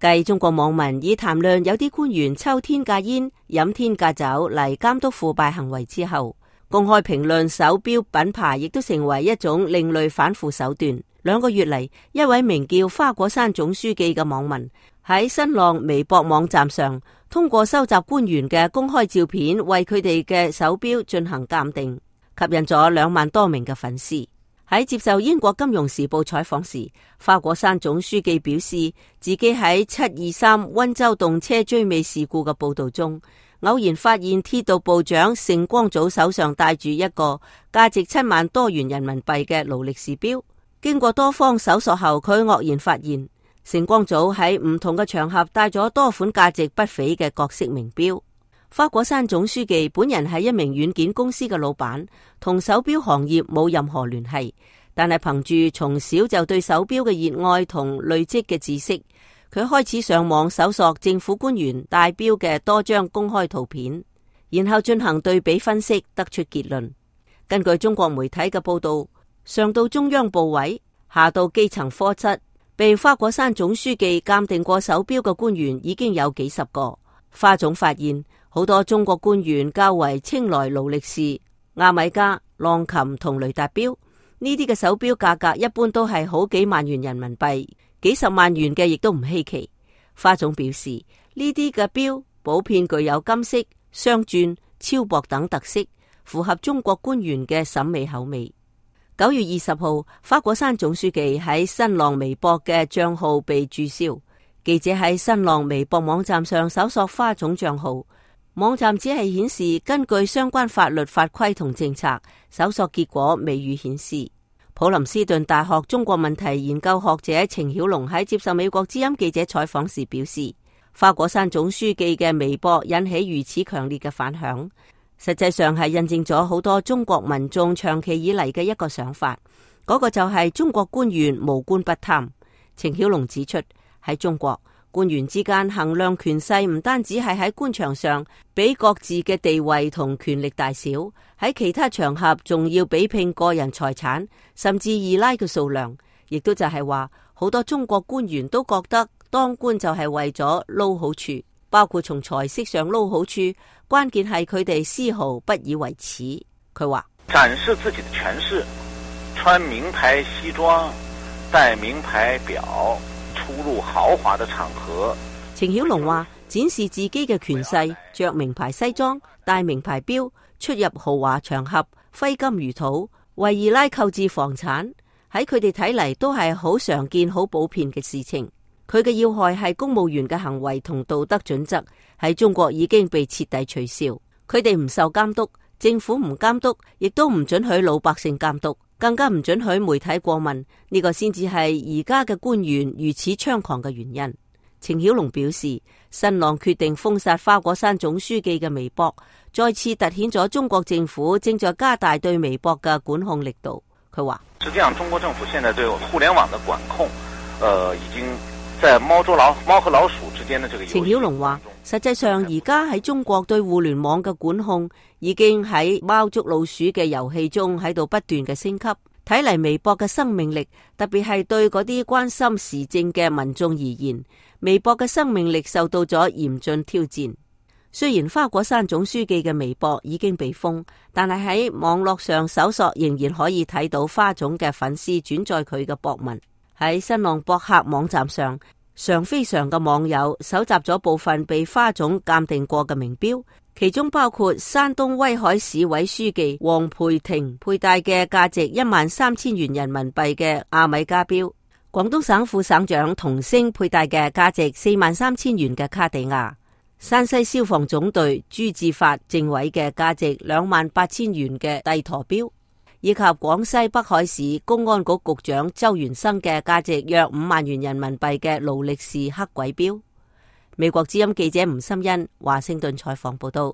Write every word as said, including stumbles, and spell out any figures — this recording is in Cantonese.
繼中國網民以談論有啲官員抽天價煙、飲天價酒嚟監督腐敗行為之後，公開評論手錶品牌亦都成為一種另類反腐手段。兩個月嚟，一位名叫花果山總書記嘅網民喺新浪微博網站上，通過收集官員嘅公開照片，為佢哋嘅手錶進行鑑定，吸引咗兩萬多名嘅粉絲。喺接受英國金融時報採訪時，花果山總書記表示，自己喺七二三溫州動車追尾事故嘅報道中，偶然發現鐵道部長盛光祖手上戴住一個價值七萬多元人民幣嘅勞力士錶。經過多方搜索後，佢愕然發現盛光祖喺唔同嘅場合戴咗多款價值不菲嘅各式名錶。花果山總書記本人係一名軟件公司嘅老闆，同手錶行業冇任何聯繫，但係憑住從小就對手錶嘅熱愛同累積嘅知識，佢開始上網搜索政府官員戴錶嘅多張公開圖片，然後進行對比分析，得出結論。根據中國媒體嘅報道，上到中央部委，下到基層科室，被花果山總書記鑑定過手錶嘅官員已經有幾十個。花總發現，好多中國官員較為青睞勞力士、亞米加、浪琴同雷達錶，呢啲嘅手錶價格一般都係好幾萬元人民幣，幾十萬元嘅亦都唔稀奇。花總表示，呢啲嘅錶普遍具有金色、雙鑽、超薄等特色，符合中國官員嘅審美口味。九月二十號，花果山總書記喺新浪微博嘅賬號被註銷。記者喺新浪微博網站上搜索花總賬號，網站只係顯示根據相關法律法規同政策，搜索結果未予顯示。普林斯頓大學中國問題研究學者程曉龍喺接受美國之音記者採訪時表示，花果山總書記嘅微博引起如此強烈嘅反響，實際上係印證咗好多中國民眾長期以嚟嘅一個想法，嗰、那個就係中國官員無官不貪。程曉龍指出，喺中國，官員之間衡量權勢唔單止係喺官場上比各自嘅地位同權力大小，喺其他場合仲要比拼個人財產，甚至二奶嘅數量。亦都就係話，好多中國官員都覺得當官就係為咗撈好處，包括從財色上撈好處，關鍵係佢哋絲毫不以為恥。佢話展示自己的權勢，穿名牌西裝，戴名牌錶，出入豪華的場合。程曉龍話，展示自己嘅權勢，着名牌西裝，戴名牌錶，出入豪華場合，揮金如土，為二奶購置房產，喺佢哋睇嚟都係好常見、好普遍嘅事情。佢嘅要害係公務員嘅行為同道德準則喺中國已經被徹底取消，佢哋唔受監督，政府唔監督，亦都唔准許老百姓監督，更加唔准許媒體過問，呢個先至係而家嘅官員如此猖狂嘅原因。程曉龍表示，新浪決定封殺花果山總書記嘅微博，再次凸顯咗中國政府正在加大對微博嘅管控力度。佢話：實際上，中國政府現在對互聯網嘅管控，呃，已經在貓捉老貓和老鼠之間的這個遊戲。程曉龍話：實際上，而家喺中國對互聯網嘅管控已經喺貓捉老鼠嘅遊戲中喺度不斷嘅升級。睇嚟微博嘅生命力，特別係對嗰啲關心時政嘅民眾而言，微博嘅生命力受到咗嚴峻挑戰。雖然花果山總書記嘅微博已經被封，但係喺網絡上搜索仍然可以睇到花總嘅粉絲轉載佢嘅博文。喺新浪博客網站上，常非常嘅網友搜集咗部分被花總鑑定過嘅名錶，其中包括山東威海市委書記黃培庭佩戴嘅價值一萬三千元人民幣嘅亞米加錶，廣東省副省長童星佩戴嘅價值四萬三千元嘅卡地亞，山西消防總隊朱志發政委嘅價值兩萬八千元嘅帝陀錶，以及廣西北海市公安局局長周元生嘅價值約五萬元人民幣嘅勞力士黑鬼錶。美國之音記者吳心欣華盛頓採訪報道。